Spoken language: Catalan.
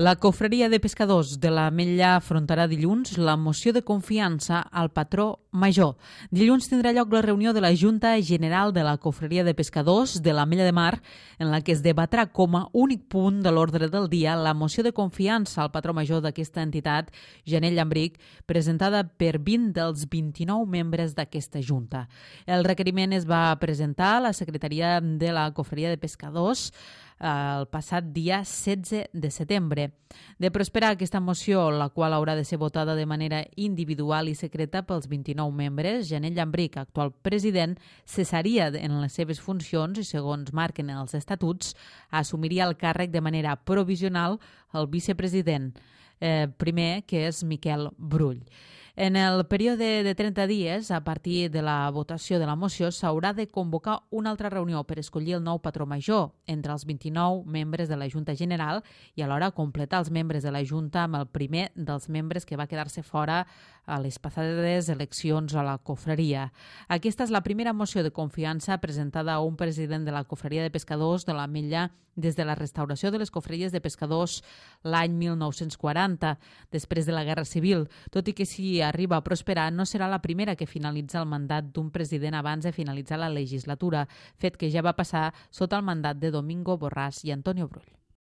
La Cofreria de Pescadors de l'Ametlla afrontarà dilluns la moció de confiança al patró major. Dilluns tindrà lloc la reunió de la Junta General de la Cofreria de Pescadors de l'Ametlla de Mar, en la que es debatrà com a únic punt de l'ordre del dia la moció de confiança al patró major d'aquesta entitat, Janell Llambric, presentada per 20 dels 29 membres d'aquesta Junta. El requeriment es va presentar a la Secretaria de la Cofreria de Pescadors el passat dia 16 de setembre. De prosperar aquesta moció, la qual haurà de ser votada de manera individual i secreta pels 29 membres, Janell Llambric, actual president, cessaria en les seves funcions i, segons marquen els estatuts, assumiria el càrrec de manera provisional el vicepresident primer, que és Miquel Brull. En el període de 30 dies, a partir de la votació de la moció, s'haurà de convocar una altra reunió per escollir el nou patró major entre els 29 membres de la Junta General i alhora completar els membres de la Junta amb el primer dels membres que va quedar-se fora a les passades eleccions a la cofreria. Aquesta és la primera moció de confiança presentada a un president de la Cofreria de Pescadors de l'Ametlla des de la restauració de les cofreries de pescadors l'any 1940, després de la Guerra Civil. Tot i que si arriba a prosperar, no serà la primera que finalitza el mandat d'un president abans de finalitzar la legislatura, fet que ja va passar sota el mandat de Domingo Borràs i Antonio Brull.